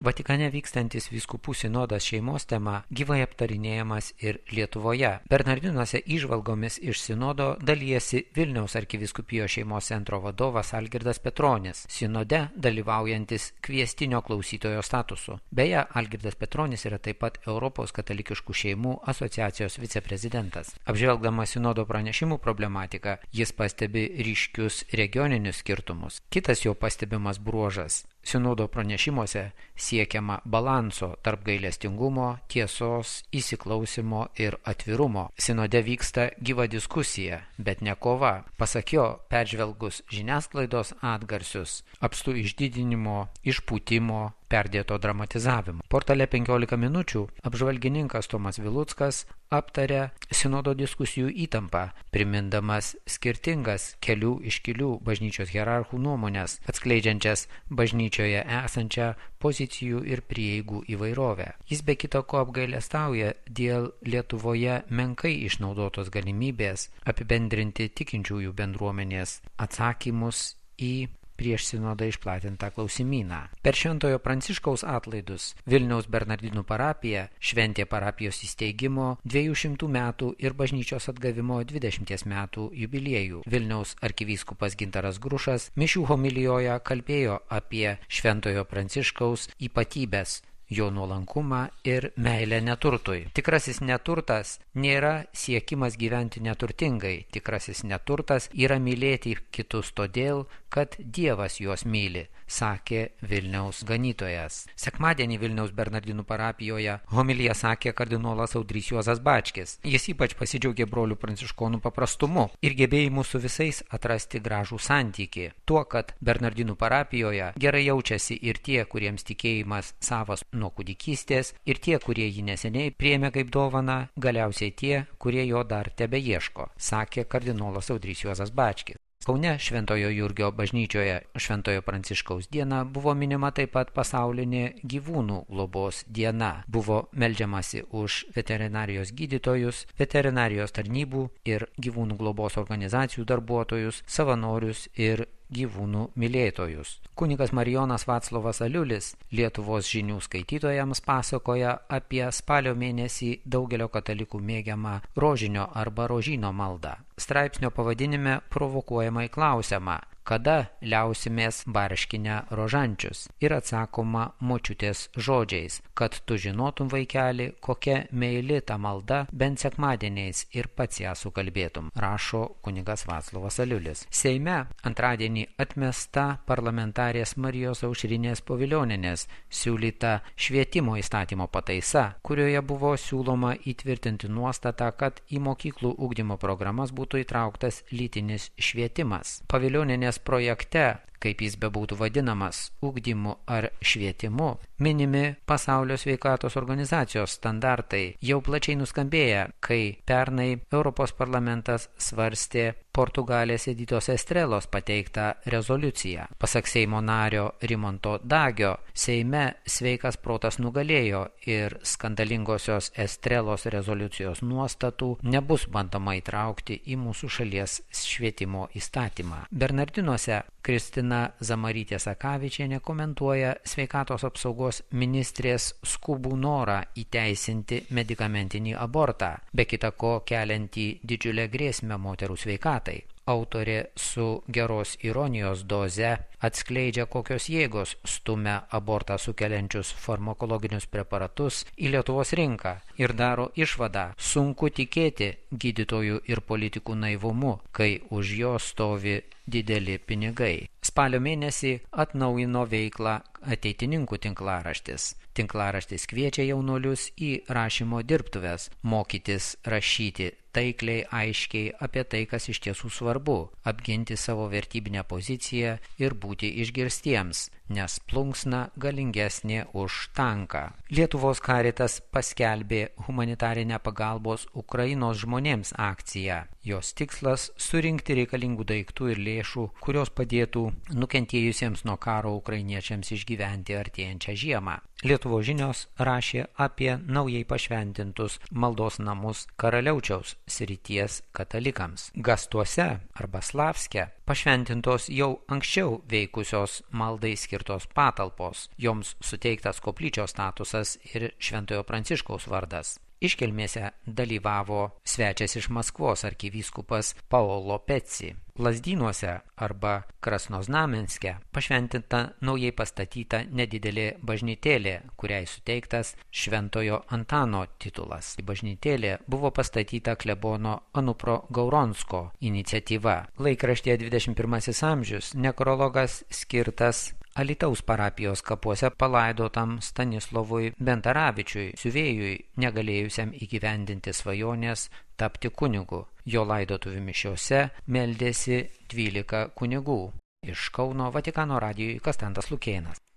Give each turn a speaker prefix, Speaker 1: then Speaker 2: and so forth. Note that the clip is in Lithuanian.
Speaker 1: Vatikane vykstantis vyskupų sinodas šeimos tema gyvai aptarinėjamas ir Lietuvoje. Bernardinuose įžvalgomis iš sinodo dalijasi Vilniaus arkivyskupijos šeimos centro vadovas Algirdas Petronis, sinode dalyvaujantis kviestinio klausytojo statusu. Beje, Algirdas Petronis yra taip pat Europos katalikiškų šeimų asociacijos viceprezidentas. Apžvelgdamas sinodo pranešimų problematiką, jis pastebi ryškius regioninius skirtumus. Kitas jo pastebimas bruožas – sinodo pranešimuose siekiama balanso tarp gailestingumo, tiesos, įsiklausimo ir atvirumo. Sinode vyksta gyva diskusija, bet ne kova. Pasak jo, peržvelgus žiniasklaidos atgarsius, apstu išdidinimo, išpūtimo, perdėto dramatizavimo. Portale 15 minučių apžvalgininkas Tomas Viluckas aptarė sinodo diskusijų įtampą, primindamas skirtingas kelių iškilių bažnyčios hierarchų nuomonės, atskleidžiančias bažnyčioje esančią pozicijų ir prieigų įvairovę. Jis be kita ko apgailestauja dėl Lietuvoje menkai išnaudotos galimybės apibendrinti tikinčiųjų bendruomenės atsakymus į prieš sinodą išplatintą klausimyną. Per Šventojo Pranciškaus atlaidus Vilniaus Bernardinų parapija šventė parapijos įsteigimo 200 metų ir bažnyčios atgavimo 20 metų jubiliejų. Vilniaus arkivyskupas Gintaras Grušas mišių homilijoje kalbėjo apie Šventojo Pranciškaus ypatybės, jo nuolankumą ir meilę neturtui. Tikrasis neturtas nėra siekimas gyventi neturtingai. Tikrasis neturtas yra mylėti kitus todėl, kad Dievas juos myli, sakė Vilniaus ganytojas. Sekmadienį Vilniaus Bernardinų parapijoje homiliją sakė kardinolas Audrys Juozas Bačkis. Jis ypač pasidžiaugė brolių pranciškonų paprastumu ir gebėjimu su visais atrasti gražų santykį. Tuo, kad Bernardinų parapijoje gerai jaučiasi ir tie, kuriems tikėjimas savas nuo kūdikystės, ir tie, kurie jį neseniai priėmė kaip dovaną, galiausiai tie, kurie jo dar tebeieško, sakė kardinolas Audrys Juozas Bačkis. Kaune Šventojo Jurgio bažnyčioje Šventojo Pranciškaus diena buvo minima taip pat pasaulinė gyvūnų globos diena. Buvo meldžiamasi už veterinarijos gydytojus, veterinarijos tarnybų ir gyvūnų globos organizacijų darbuotojus, savanorius ir gyvūnų mylėtojus. Kunigas Marijonas Vaclovas Aliulis Lietuvos žinių skaitytojams pasakoja apie spalio mėnesį daugelio katalikų mėgiamą rožinio arba rožyno maldą. Straipsnio pavadinime provokuojamai klausiama, kada liausimės barškinę rožančius, ir atsakoma močiutės žodžiais, kad tu žinotum, vaikeli, kokia meili ta malda, bent sekmadieniais ir pats ją sukalbėtum, rašo kunigas Vaclovas Aliulis. Seime antradienį atmesta parlamentarės Marijos Aušrinės Povilionienės siūlyta švietimo įstatymo pataisa, kurioje buvo siūloma įtvirtinti nuostatą, kad į mokyklų ugdymo programas būtų įtrauktas lytinis švietimas. Povilionienės projekte, kaip jis bebūtų vadinamas, ugdymu ar švietimu, minimi Pasaulio sveikatos organizacijos standartai jau plačiai nuskambėję, kai pernai Europos parlamentas svarstė Portugalės Editos Estrelos pateiktą rezoliuciją. Pasak Seimo nario Rimanto Dagio, Seime sveikas protas nugalėjo ir skandalingosios Estrelos rezoliucijos nuostatų nebus bandoma įtraukti į mūsų šalies švietimo įstatymą. Bernardinuose Kristina Zamarytė Sakavičienė komentuoja sveikatos apsaugos ministrės skubų norą įteisinti medikamentinį abortą, be kita ko keliantį didžiulę grėsmę moterų sveikatai. Autorė su geros ironijos doze atskleidžia, kokios jėgos stumia abortą sukeliančius farmakologinius preparatus į Lietuvos rinką ir daro išvadą: sunku tikėti gydytojų ir politikų naivumu, kai už jo stovi dideli pinigai. Spalio mėnesį atnaujino veiklą ateitininkų tinklaraštis. Tinklaraštis kviečia jaunuolius į rašymo dirbtuves, mokytis rašyti taikliai, aiškiai apie tai, kas iš tiesų svarbu, apginti savo vertybinę poziciją ir būti išgirstiems, nes plunksna galingesnė už tanką. Lietuvos Karitas paskelbė humanitarinę pagalbos Ukrainos žmonėms akciją. Jos tikslas – surinkti reikalingų daiktų ir lėšų, kurios padėtų nukentėjusiems nuo karo ukrainiečiams išgyventi artėjančią žiemą. Lietuvos žinios rašė apie naujai pašventintus maldos namus Karaliaučiaus srities katalikams. Gastuose arba Slavske pašventintos jau anksčiau veikusios maldai skirtos patalpos, joms suteiktas koplyčios statusas ir Šventojo Pranciškaus vardas. Iškilmėse dalyvavo svečias iš Maskvos arkivyskupas Paolo Peci. Lazdynuose arba Krasnoznamenske pašventinta naujai pastatyta nedidelė bažnytėlė, kuriai suteiktas Šventojo Antano titulas. Bažnytėlė buvo pastatyta klebono Anupro Gauronsko iniciatyva. Laikraštyje 21 amžius nekrologas skirtas Alytaus parapijos kapuose palaidotam Stanislovui Bentaravičiui, siuvėjui, negalėjusiam įgyvendinti svajonės tapti kunigu. Jo laidotuvių mišiose meldėsi 12 kunigų. Iš Kauno Vatikano radijui Konstantas Lukėnas.